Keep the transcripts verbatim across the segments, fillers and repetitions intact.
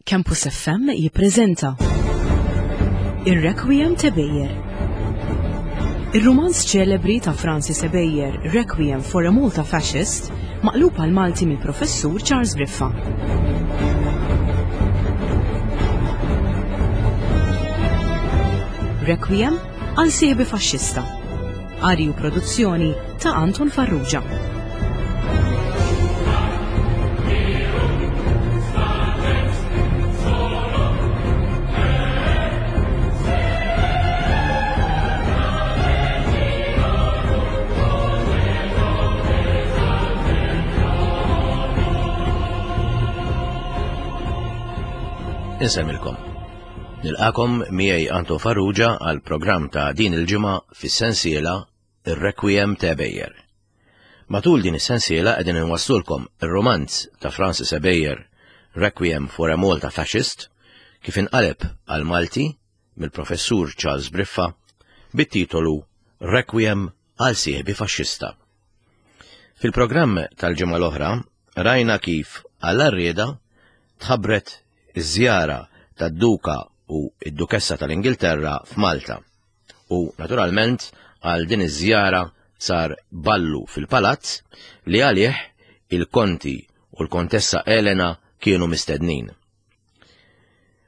Campus F M jippreżenta Ir-Requiem t'Ebejer. Ir-rumanz ċelebri ta' Francis Ebejer, Requiem for a Malta Fascist, maqlub għal Malti mill-Professur Charles Briffa. Requiem għal sieħbi faxxista. Qari u produzzjoni ta' Anton Farrugia. Insemmilkom. Nilqakom miegħi Anton Farrugia għal programm ta' din il-ġimgħa fis-sensiela Ir-Requiem ta' Ebejer. Matul din is-sensiela qegħdin inwasslulkom ir-romanz ta' Francis Ebejer, Requiem for a Malta Fascist, kif inqaleb għal Malti mill-Professur Charles Briffa bit-titolu Requiem għal sieħbi faxxista. Fil-programm tal-ġimgħa l-oħra rajna kif għal arrieda tħabbret iż-żjara tad-Duka u id-Dukessa tal-Ingilterra f'Malta. U naturalment għal din iż-żjara sar ballu fil-palazz li għalih il-konti u l-kontessa Elena kienu mistednin.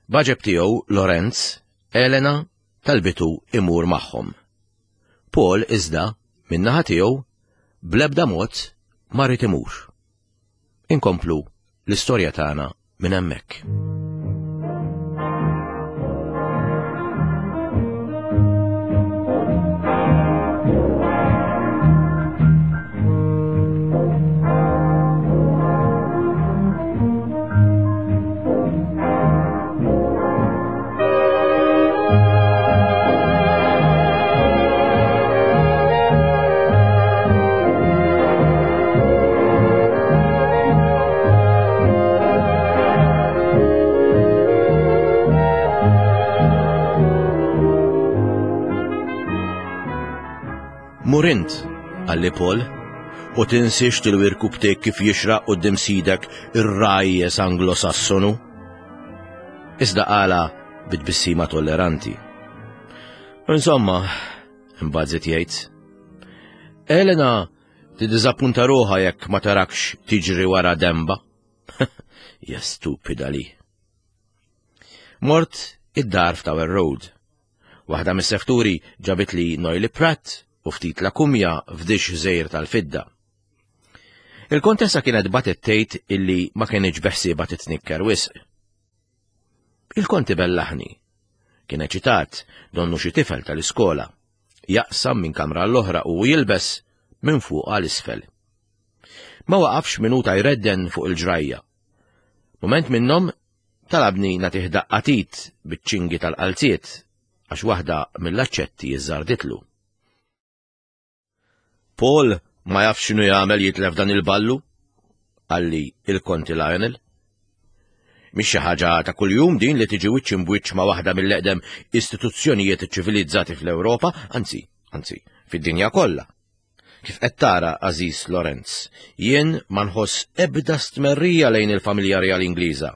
Baġeb tiegħu Lorenz, Elena talbitu imur magħhom. Paul iżda min-naħa tiegħu bl-ebda mod ma ried imur. Inkomplu l-istorja tagħna minn hemmhekk. Mur int, qalli Paul, u tinsiex tilwirku btek kif jixraq quddiem sidek ir-rajjes Anglo-Sassonu. Iżda qala bit-tbissima tolleranti. Insomma, imbagħad żied jgħid, Elena tiddiżappunta ruħha jekk ma tarakx tiġri wara demba. Ja stupida li. Mort id-dar f'Tower Road. Waħda mis-sefturi ġabit li Noili Pratt u ftit lakumja f'dix żejr tal-fidda. Il-kontessa kienet batet tgħid illi ma kienx beħsieba titnikker wisq. Il-konti bellaħni. Kien eċitat, donnu xi tifel tal-iskola. Jaqsam minn kamra l-oħra u jilbes minn fuq għal isfel. Ma waqafx minuta jredden fuq il-ġrajja. Moment minnhom talabni nagħtih daqqa t'id biċ-ċingi tal-qalziet għax waħda mill-aċċetti jiżżarditlu. Paul ma jafx x'inhu jagħmel jitlef dan il-ballu, qalli il-konti Lionel. Mhix xi ħaġa ta' kuljum din li tiġi wiċċ imbwiċċ ma' waħda mill-eqdem istituzzjonijiet ċivilizzati fl-Ewropa, anzi, anzi, fid-dinja kollha. Kif qed tara, Aziz Lorenz, jien ma nħoss ebda stmerrija lejn il-familja reali Ingliża.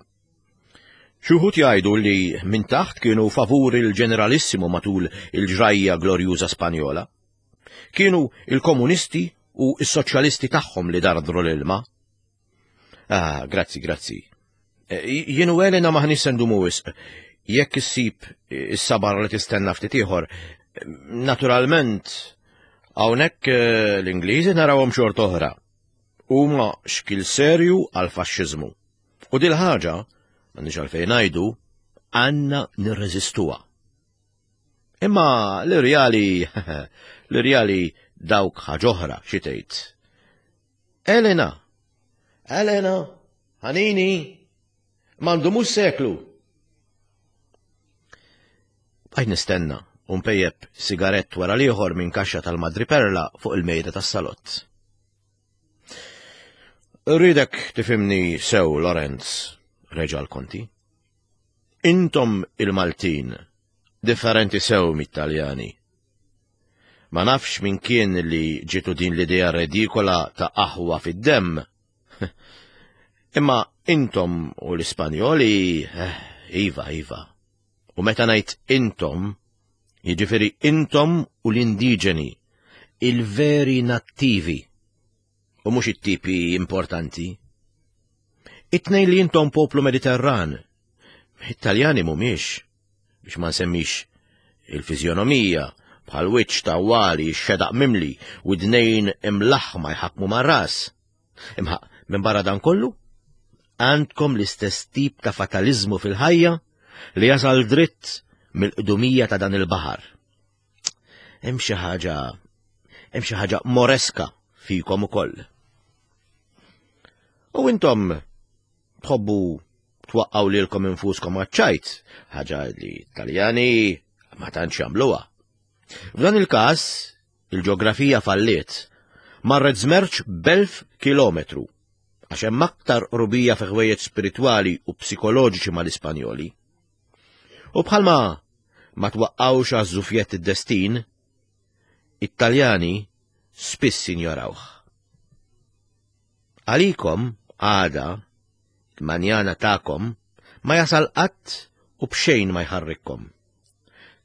Xi wħud jgħidu li minn taħt kienu favur il-ġeneralissimu matul il-ġrajja glorjuża Spanjola. Kienu il-komunisti u s-soċjalisti tagħhom li dardru l-ilma. Ah, grazzi, grazzi. E, jien u Elena maħniex se ndumu wisq. Jekk issib is-sabar li tistenna ftit ieħor, naturalment hawnhekk eh, l-Ingliżi narawhom xort oħra. Huma xkil serju għal faxxiżmu. U dil ħaġa, m'għandniex għalfejn ngħidu, għandna nirreżistuha. Imma l-irjali, l-irjali dawk ħaġoħra xi tgħid. Elena, Elena, ħanini, m'għandu mhux seklu. Bqajt nistenna u npejjeb sigarett wara l-ieħor minn kaxxa tal-Madri Perla fuq il-mejda tas-salott. Rridek tifhimni sew, Lorenz, reġa' l-konti. Intom il-Maltin, differenti sew mit-Taljani. Ma nafx min kien li ġitu din l-idea redikola ta' aħwa fid-demm. Imma intom u l-Ispanjoli, eh, iva, iva. U meta ngħid intom, jiġifieri intom u l-indiġeni, il-veri nattivi, u mhux it-tipi importanti. It-tnejn li intom poplu Mediterran, it-Taljani mhumiex, biex ma nsemmix il-fiżjonomija, bħal wiċċ tawwali, xedaq mimli, u dnejn imlaħma jħakmu mar-ras. Imma minn barra dan kollu, għandkom l-istess tip ta' fatalizmu fil-ħajja li jasal dritt mill-qdumija ta' dan il-baħar. Hemm xi ħaġa, hemm xi ħaġa moreska fikom ukoll. U intom tħobbu twaqqgħu lilkom infuskom għaċ-ċajt, ħaġa li Taljani ma tantx jagħmluha. F'dan il-każ, il-ġeografija falliet, marret żmerċ b'elf kilometru, għax hemm aktar qrubija fi ħwejjeġ spiritwali u psikoloġiċi mal-Ispanjoli. U bħalma ma twaqqgħux għaż-żufjett id-destin, it-Taljani spiss injorawh. Għalikom, għada, il-manjana tagħkom, ma jasal qatt u b'xejn ma jħarrikkom.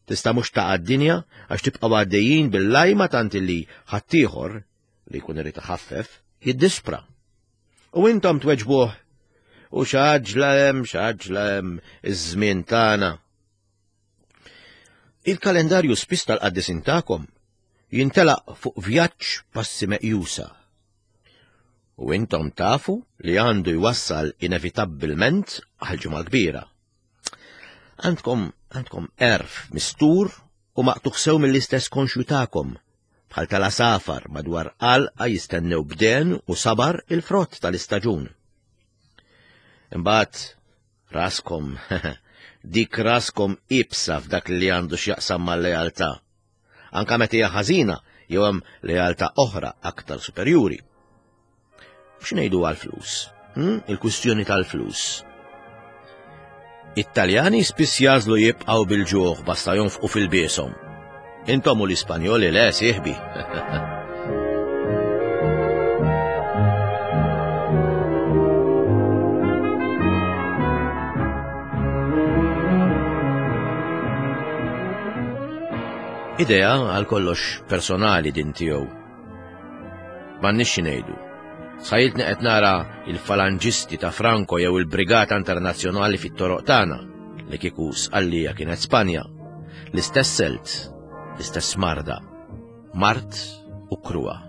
Tista' mhux taqa' d-dinja għax tibqgħu għaddejjin bil-lajma tant li ħaddieħor li jkun irid iħaffef jiddispra. U intom tweġbuh u x'għaġla hemm, x'għaġla hemm iż-żmien tagħna. Il-kalendarju spiss tal-qaddisin tagħkom jintelaq fuq vjaġġ passi meqjusa. U intom tafu li għandu jwassal inevitabbilment għal ġimgħa kbira. Għandkom għandkom erf mistur u maqtugħ sew mill-istess konxju tagħkom, bħal tal-asafar madwar qalqa jistennew bden u sabar il-frott tal-istaġun. Imbagħad raskom, dik raskom ibsa f'dak li għandu x'jaqsam mal-lealtà. Anka meta hija ħażina jew hemm lealtà oħra aktar superjuri. X'ngħidu għall-flus? Hm? Il-kwistjoni tal-flus. It-Taljani spiss jażlu jibqgħu bil-ġuħ basta jonfqu fil-biesom. Intom u l-Ispanjoli le sieħbi. Idea għal kollox personali din tiegħu. M'għandniex xi ngħidu. Sħajiltni qed nara il-falanġisti ta' Franco jew il-Brigata Internazzjonali fit-toroq tagħna li kieku Sqallija kienet Spanja. L-istess selt, l-istess marda, mart u kruha.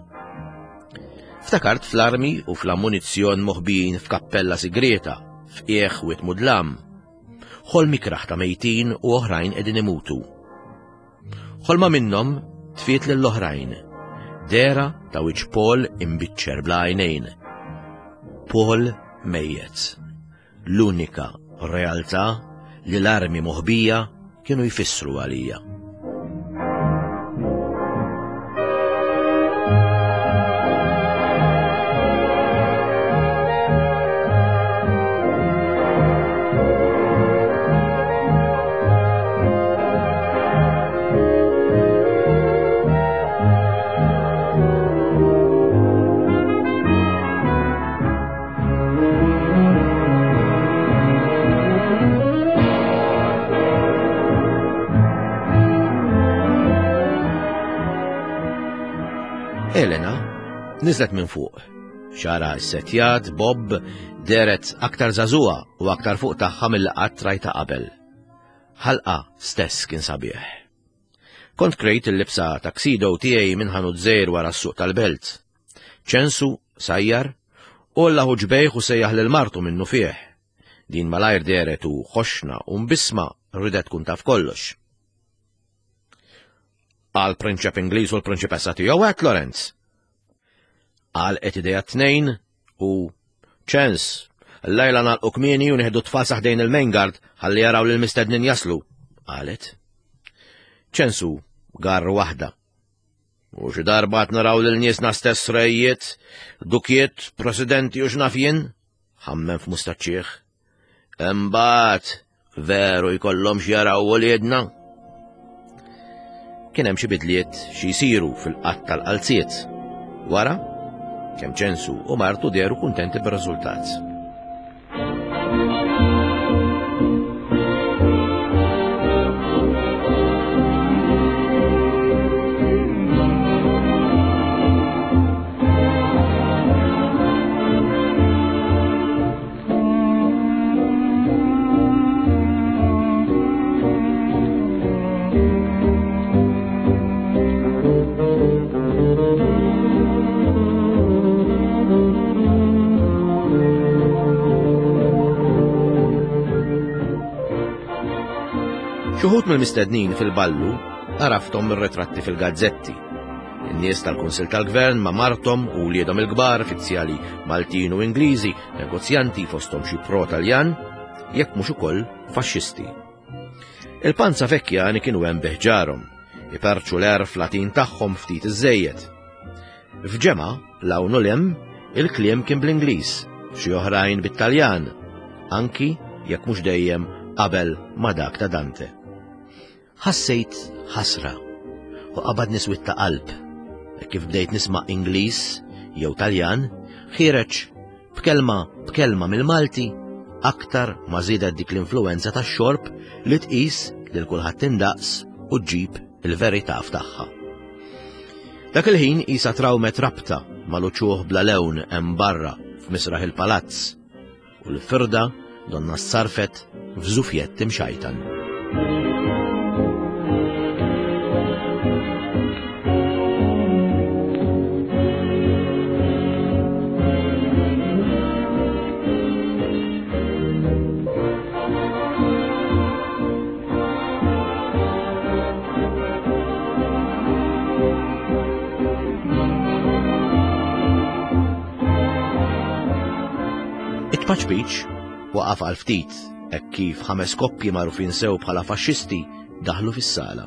Ftakart fl-armi u fl-ammunizzjon moħbijin f'kappella sigrieta, f'qiegħ wied mudlam. Ħolm ikraħ ta' mejtin u oħrajn qegħdin imutu. Ħolma minnhom tfiet lill-oħrajn. Dera ta' wiċċ Paul imbiċċer bla għajnejn. Paul mejjet. L-unika realtà li l-armi moħbija kienu jfissru għalija. Elena niżlet minn fuq. Xara s-setjat, Bob, deret aktar żagħżugħa u aktar fuq tagħha mill qatt rajta qabel. Ħalqa stess kien sabiħ. Kont krejt il-libsa tuxedo tiegħi minn ħanut żgħir wara s-suq tal-belt. Ċensu, sajjar, u lahu ġbejħ u sejjaħ lil martu minnu fih. Din malajr deret u ħoxna u mbisma ridet tkun taf kollox. Għal prinċep Ingliż u l-prinċipessa tiegħu għet Lorenz. Għal qed idejha tnejn u ċens, l-lejla nagħlqu kmieni u nieħdu tfal saħdejn il-main guard ħalli jaraw lil mistednin jaslu, qalet. Ċensu gar waħda. U xi darba qed naraw lil niesna stess rejiet, dukiet, presidenti u x'naf jien, ħammem f'mustaċċieħ. Imbagħad veru jkollhom x'jaraw uliedna. Kien hemm xi bidliet xi jsiru fil-qatt tal-qalziet. Wara, kemm Ċensu u martu dehru kuntenti bir-riżultat. Xi wħud mill-mistednin fil-ballu għarafthom mir-ritratti fil-gazzetti. In-nies tal-Kunsill tal-Gvern ma' marthom u wliedhom il-kbar, fizzjali Maltin u Ingliżi, negozjanti fosthom xi pro-Taljan, jekk mhux ukoll faxxisti. Il-Panza Vecchiani kienu hemm bi ħġarhom, iperċu l-għerf Latin tagħhom ftit iżejjed. F'ġemgħa, l-hawn u 'l hemm, il-kliem kien bl-Ingliż, xi oħrajn bit-Taljan, anki jekk mhux dejjem qabel ma dak ta' Dante. Ħassejt ħasra u qabadni swied ta' qalb kif bdejt nisma' Ingliż jew Taljan ħiereġ b'kelma b'kelma mill-Malti aktar ma żiedet dik l-influenza tax-xorb li tqis lil kulħadd indaqs u ġġib il-verità f'tagħha. Dak il-ħin isa trawmet rabta mal-uċuħ bla lewn hemm barra f'misraħ il-palazz u l-firda donna ssarfet f'żufjett imxajtan. It-tpaċpiċ waqaf għal ftit hekk kif ħames koppji magħrufin sew bħala faxxisti daħlu fis-sala.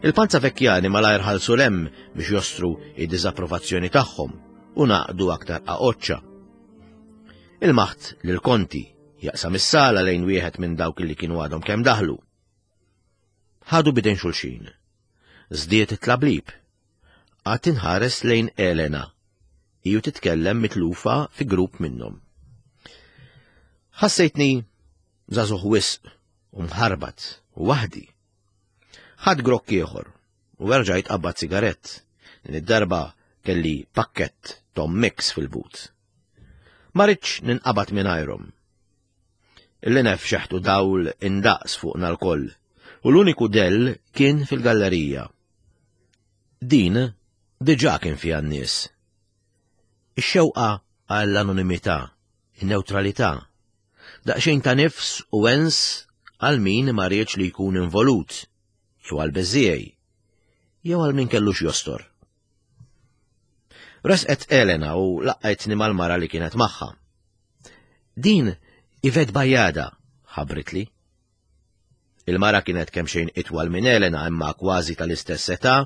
Il-Panza Vecchiani malajr ħalsu 'l hemm biex jostru id-diżapprovazzjoni tagħhom u naqdu aktar qaqoċċa. Ilmaħt lil Konti jaqsam is-sala lejn wieħed minn dawk li kienu għadhom kemm daħlu. Ħadu b'idejn xulxin. Żdied it-tlablib. Qgħadt inħares lejn Elena. Iju titkellem mitlufa fi grupp minnhom. Ħassejtni żagħżugħ wisq u mħarbat u waħdi. Ħadt grokk ieħor u erġajt qabbadt sigarett. Din id-darba kelli pakkett Tom Mix fil-but. Ma ridtx ninqabad mingħajrhom. Il-linef xeħtu dawl indaqs fuqna lkoll u l-uniku dell kien fil-gallerija. Din diġà kien fiha n-nies. Ix-xewqa għall-anonimità, in-neutralità, daqsxejn ta' nifs u wens għal min ma riedx li jkun involut, jew għal beżiej, jew għal min kellux jostor. Resqet Elena u laqgħetni mal-mara li kienet magħha. Din Yvette Bajada, ħabbritli. Il-mara kienet kemxejn itwal minn Elena imma kważi tal-istess età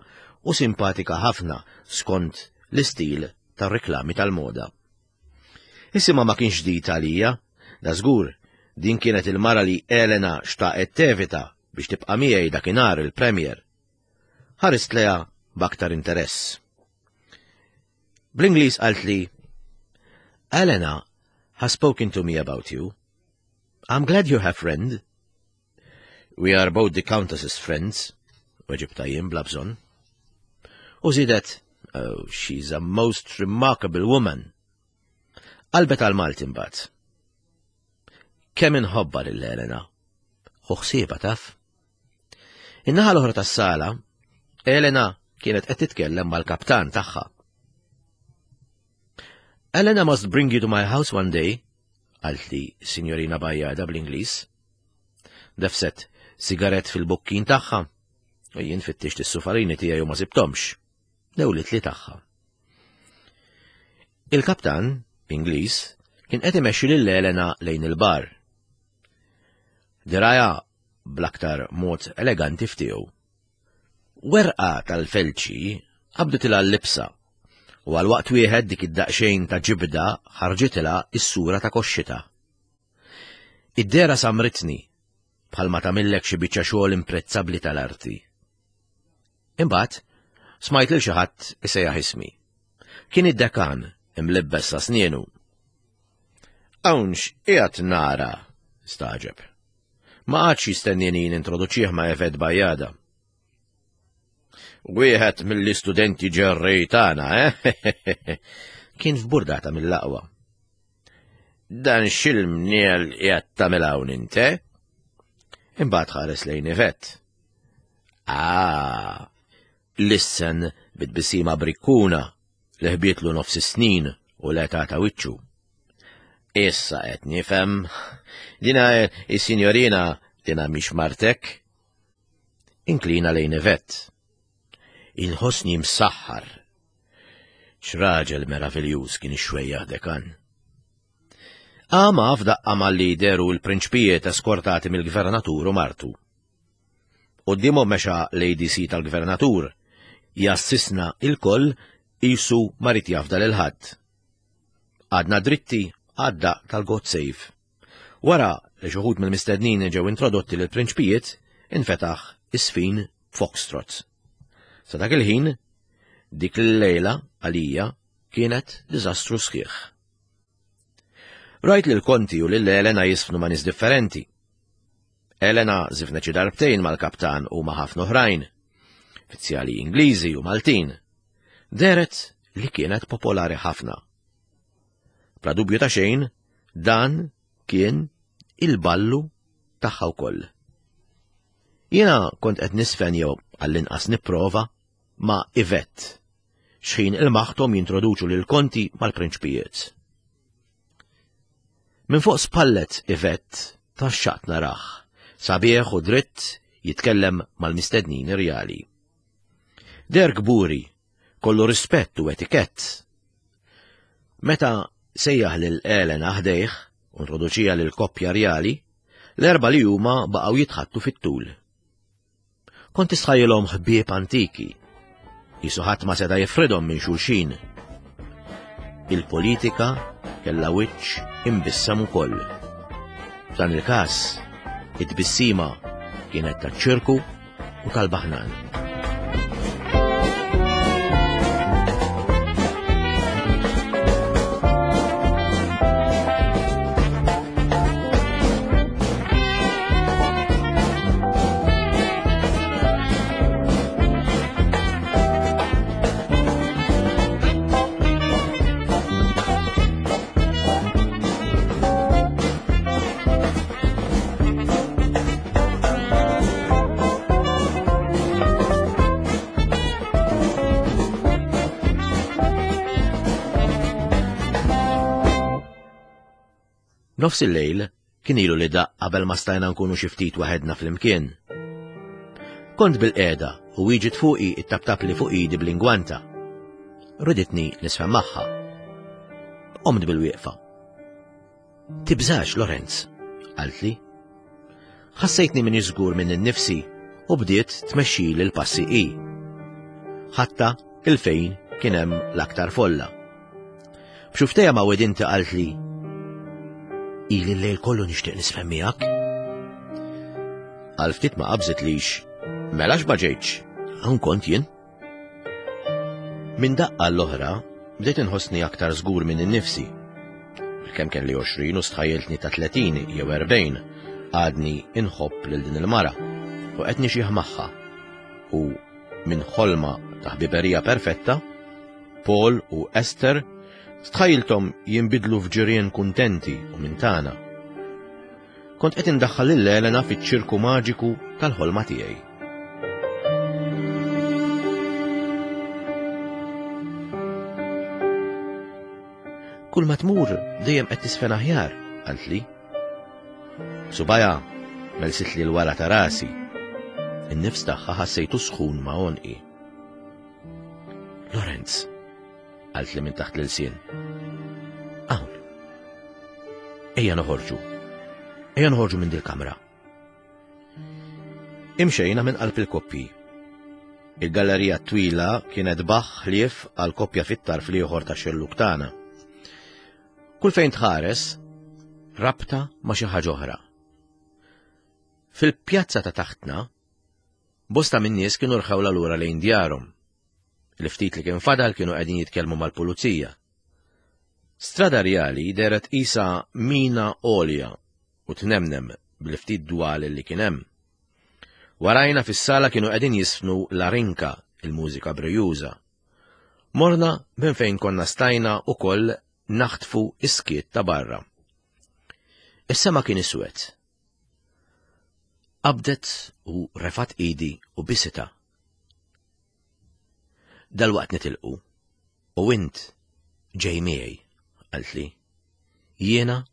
u simpatika ħafna skont l-istil tar-reklami tal-moda. Isimha ma kienx ġdid għalija, da żgur, din kienet il-mara li Elena xtaqet tevita biex tibqa' miegħi dakinhar il-Premier. Ħarist lejha b'aktar interess. Bl-Ingliż qaltli, Elena has spoken to me about you. I'm glad you have friend. We are both the Countess's friends, weġibtha jien bla bżonn. U żiedet, oh, she's a most remarkable woman. Qalbet għal-Malti mbagħad. Kemm inħobbha lil Elena. Ħu ħsiebha taf. In-naħa l-oħra tas-sala, Elena kienet qed titkellem mal-kaptan tagħha. Elena must bring you to my house one day, qaltli Signorina Bajada bl-Ingliż. Defset sigaret fil-bukkin tagħha u jien fittixt is-sufarini tiegħi u ma sibthomx. Newlitli tagħha. Il-kaptan, Ingliż, kien qed imexxi lil Elena lejn il-bar. Dirgħajha bl-aktar mod eleganti ftiegħu. Werqa tal-felċi qabditilha l-libsa u għal waqt wieħed dik id-daqxejn ta' ġibda ħarġitilha is-sura ta' koxxita. Id-dehra samritni bħalma tagħmillek xi biċċa xogħol imprezzabbli tal-arti. Imbagħad smajt lil xi ħadd isejjaħ ismi. Kien id-dekan imlibbes sa snienu. Hawn x'qiegħed nara, stagħġeb. Ma qagħadx jistennini nintroduċih ma' Yvette Bajada. Wieħed mill-istudenti ġerrej tagħna, eh? Kien f'burdata mill-aqwa. Dan x'il-mniel qiegħed tagħmel hawn inte? Imbagħad ħares lejn Yvette. Ah, lissen bit-tbissima brikkuna li ħbietlu nofs is-snin u l-età ta' wiċċu. Issa qed nifhem. Dina is-sinjorina Dina mhix martek? Inklina lejn Yvette. Inħossni msaħħar. X'raġel meraviljuż kien ix-xwejjaħ dekan. Għama f'daqqa malli deru l-prinċpijiet eskortati mill-gvernatur u martu. Quddiemhom mexa l-A D C tal-gvernatur, jassisna il-koll qisu ma ried jafda lil ħadd. Qgħadna dritti għad-daqq tal-God Save. Wara li xi wħud mill-mistednin ġew introdotti lil prinċpijiet, infetaħ iż-żfin Foxtrot. Sa dak il-ħin, dik l-lejla għalija kienet diżastru sħiħ. Rajt lil Konti u lil Elena jiżfnu ma' nies differenti. Elena żifnet xi darbtejn mal-kaptan u ma' ħafna oħrajn, uffiċjali Ingliżi u Maltin. Dehret li kienet popolari ħafna. Bla dubju ta' xejn, dan kien il-ballu tagħha wkoll. Jiena kont qed niżfen jew għall-inqas nipprova ma' Yvette, xħin ilmaħthom jintroduċu lil Konti mal-prinċpijiet. Minn fuq spallet Yvette tgħaxxaqt narah, sabiħ u dritt jitkellem mal-mistednin rjali. Deher kburi, kollu rispett u etikett. Meta sejjaħ lil Elena ħdejh u introduċiha lil koppja rjali, l-erba li huma baqgħu jitħaddtu fit-tul. Kont tistħajjilhom ħbieb antiki, qisu ħadd ma seta' jifridhom minn xulxin. Il-politika kella wiċċ imbissam ukoll. F'dan il-każ, it-tbissima kienet taċ-ċirku u tal-baħnan. Nofs il-lejl kien ilu li daqq qabel ma stajna nkunu xi ftit waħedna flimkien. Kont bilqiegħda u ġiet fuqi ttaptapli fuq idi bl-ingwanta. Riditni niżfen magħha. Qomt bil-wieqfa. "Tibżax, Lorenz," qaltli. Ħassejtni m'iniex żgur minni nnifsi u bdiet tmexxi l-passi i. Ħadtha 'il fejn kien hemm l-aktar folla. B'xufftejha ma' widinti qaltli, "Ili l-lejl kollu nixtieq niżfen miegħek." Għal ftit ma qabżitlix, mela ma ġejtx, hawn kont jien. Minn daqqa l-oħra, bdejt inħossni aktar żgur minn innifsi. Bilkemm kelli għoxrin u stħajjiltni ta' tletin jew erbgħin, għadni inħobb lil din il-mara u qed nixjieħ magħha. U minn ħolma ta' ħbiberija perfetta, Paul u Esther stħajjilthom jinbidlu f'ġirien kuntenti u minn tagħna. Kont qed indaħħal lil Elena fiċ-ċirku maġiku tal-ħolma tiegħi. "Kull ma tmur dejjem qed tiżfen aħjar," qaltli. Subgħajha melsitli l-wara ta' rasi. In-nifs tagħha ħassejtu sħun ma' għonqi. "Lorenz," qaltli minn taħt l-ilsien. "Hawn. Ejja noħorġu. Ejja noħorġu minn dil-kamra." Imxejna minn qalb il-koppji. Il-gallerija twila kienet baħ ħlief għal koppja fit-tarf l-ieħor ta' xellug tagħna. Kull fejn tħares, rabta ma' xi ħaġa oħra. Fil-pjazza ta' taħtna, bosta minn nies kienu rħewla lura lejn djarhom. Il-ftit li kien fadal kienu qegħdin jitkellmu mal-pulizija. Strada Rjali dehret qisha mina għolja u tnemnem bil-ftit dwal li kien hemm. Warajna fis-sala kienu qegħdin jiżfnu La Rinka, il-mużika brijuża. Morna minn fejn konna stajna ukoll naħtfu is-skiet ta' barra. Is-sema kien iswed. Qabdet u refgħet idi u bistha. "Dalwaqt nitilqu, u int ġej miegħi," qaltli. "Jiena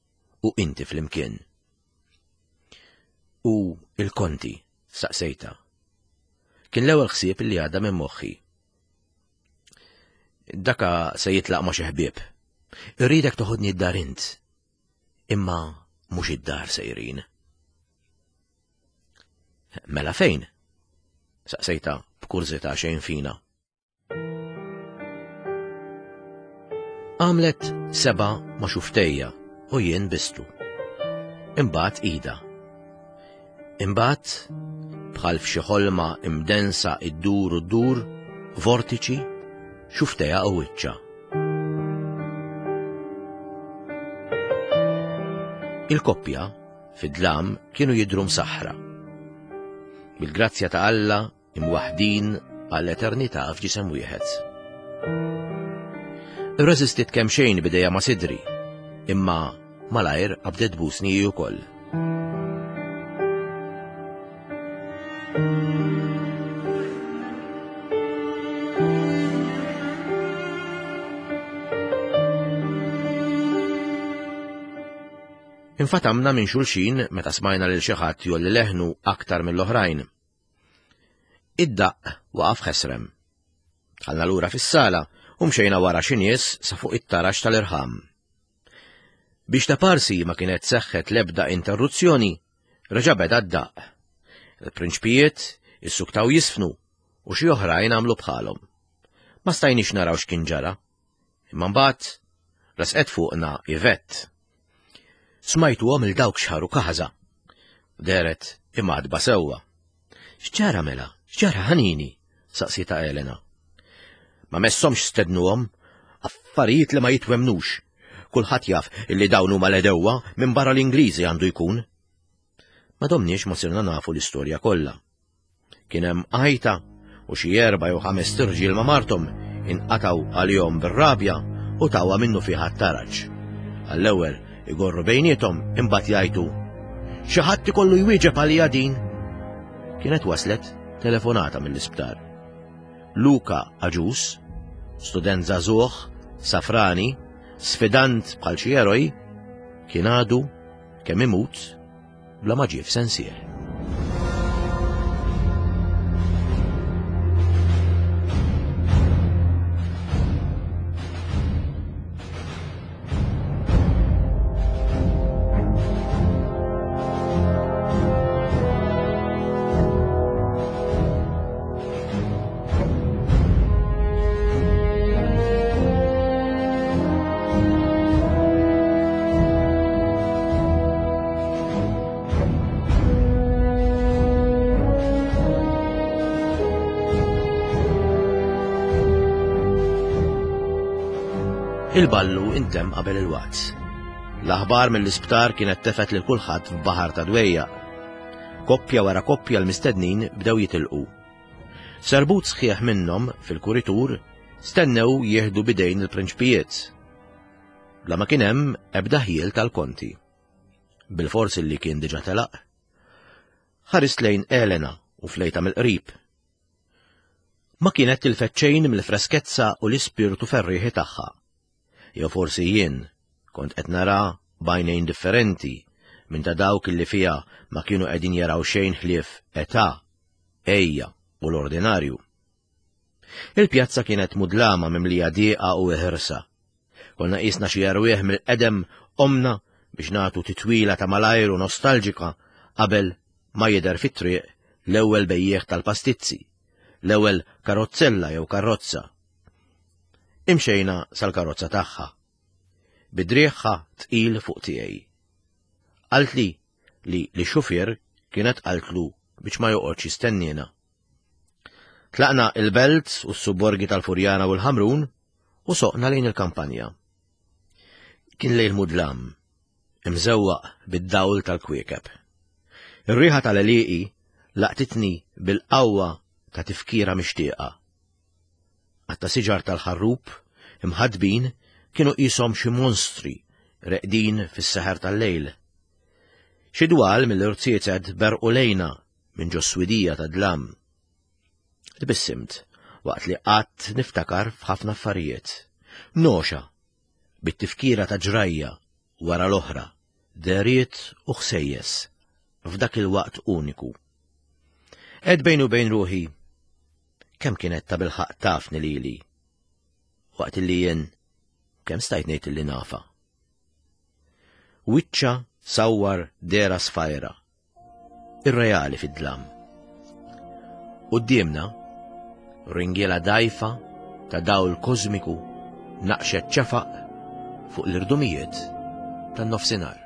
u inti flimkien." U il-konti, saqsejta. Kien l-ewwel ħsieb li għadda minn moħħi. Daka se jitlaq ma' xi ħbieb. Irridek toħodni d-dar int. Imma mhux id-dar sejrin. Mela fejn? Saqsejta b'kurżità xejn fina. Għamlet seba' ma' xuftejja u jien bistu. Imbagħad ida. Imbagħad bħal f'xi ħolma imdensa iddur u ddur, vortiċi, xuftejja u wiċċa. Il-koppja fid-dlam kienu jidhru msaħħra. Bil-grazzja ta' Alla imwaħdin għall-eternità f'ġisem wieħed. Irreżistiet kemm xejn bidejja ma' sidri, imma malajr qabdet tbusni hi wkoll. Infatamna minn xulxin meta smajna lil xi ħadd jolli leħnu aktar mill-oħrajn. Id-daqq waqaf ħesrem. Dħalna lura fis-sala u mxejna wara xi nies sa fuq it-tarax tal-irħam. Biex ta' parsi ma kienet seħħet l-ebda interruzzjoni, reġa' beda d-daqq. Il-prinċpijiet issuktaw jisfnu u xi oħrajn għamlu bħalhom. Ma stajniex naraw x'kien ġara. Imma mbagħad resqet fuqna Yvette. Smajtuhom il dawk xħaru kaħża. Deret imgħadba sewwa. X'ġara mela? X'ġara ħanini? Saqsita Elena. Ma messomx stednuhom, affarijiet li ma jitwemnux. Kulħadd jaf illi dawn huma l-edewwa minn barra l-Ingliżi għandu jkun. Ma domniex ma sirna nafu l-istorja kollha. Kien hemm għajta u xi erba' jew ħames tirġiel ma' marthom inqatgħu għalihom bir-rabja u tawha minnu fiha t-taraġ. Għall-ewwel igorru bejniethom imbagħad jgħidu xi ħadd ikollu jwieġeb għalija din. Kienet waslet telefonata mill-isptar. Luka Aġus, student żagħżugħ, safrani, sfidant bħal xi eroj, kien għadu kemm imut bla ma ġie f'sensieh. Il-ballu intemm qabel il-waqt. L-aħbar mill-isptar kienet tefet lil kulħadd f'baħar ta' dwejja. Koppja wara koppja l-mistednin bdew jitilqu. Serbut sħiħ minnhom fil-kuritur stennew jieħdu bidejn il-prinċpijiet. Bla ma kien hemm ebda ħiel tal-konti. Bil-forsi li kien diġà telaq. Ħarist lejn Elena u flejta mill-qrib. Ma kienet tilfet xejn mill-freskezza u l-ispirtu ferrieħi tagħha. Jew forsi jien kont qed nara b'għajnejn differenti minn ta' dawk li fiha ma kienu qegħdin jaraw xejn ħlief età, ejja u l-ordinarju. Il-pjazza kienet mudlama mimlija dieqa u ħirsa. Konna qisna xi erwieħ mill-qedem omna biex nagħtu titwila ta' malajru nostalġika qabel ma jidher fit-triq l-ewwel bejjieħ tal-pastizzi, l-ewwel karozzella jew karrozza. Imxejna sal-karozza tagħha. Bidrieħha tqil fuq tiegħi. Qaltli li li xufier kienet qaltlu biex ma joqgħodx jistenniena. Tlaqna il-Belt u s-subborgi tal-Furjana u l-Ħamrun u soqna lejn il-kampanja. Kien lejl mudlam, imżewwaq bid-dawl tal-kwiekeb. Ir-riħa tal-għelieqi laqtitni bil-qawwa ta' tifkira mixtieqa. Għatta siġar tal-ħarrub imħadbin kienu qishom xi monstri reqdin fis-seħer tal-lejl. Xi dwal mill-irziezet berqu lejna minn ġo swidija ta' dlam. Tbissimt waqt li qatt niftakar f'ħafna affarijiet. Noxa bit-tifkira ta' ġrajja wara l-oħra, deriet u ħsejjes f'dak il-waqt uniku. Għedt bejni u bejn ruħi, kemm kienet tabilħaqq tafni lili, waqt li jien kemm stajt ngħid li nafha. Wiċċha sawwar dehra sfajra, irreali fid-dlam. Quddiemna, ringiela dgħajfa ta' dawl kosmiku naqxet ċafaq fuq l-irdumijiet tan-nofsinhar.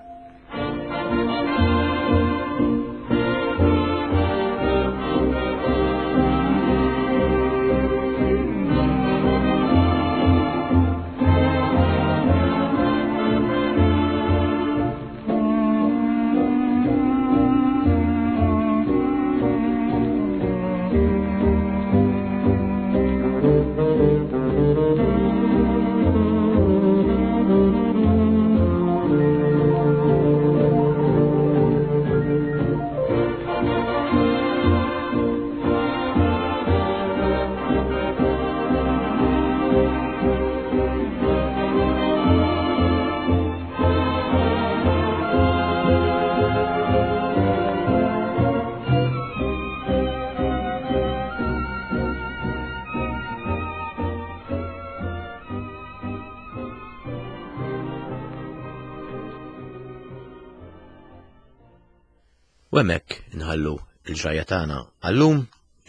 U hemmhekk inħallu il-ġrajja tagħna għallum,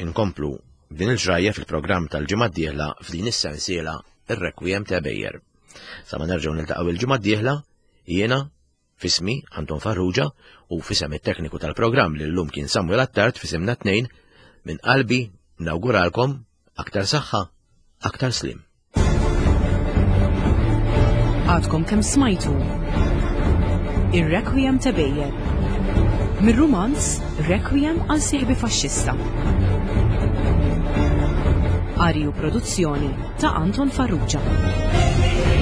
inkomplu din il-ġrajja fil-programm tal-ġimgħa d-dieħla f'din is-sensiela ir-Requiem ta' Ebejer. Sa ma nerġgħu niltaqgħu il-ġimgħa d-dieħla, jiena f'ismi Anton Farrugia u f'isem it-tekniku tal-programm li llum kien Samuel Attard f'isimna tnejn minn qalbi nawguralkom aktar saħħa, aktar slim. Għadkom kemm smajtu Ir-Requiem ta' Ebejer. Mir-rumanz Requiem għal sieħbi faxxista. Qari u produzzjoni ta' Anton Farrugia.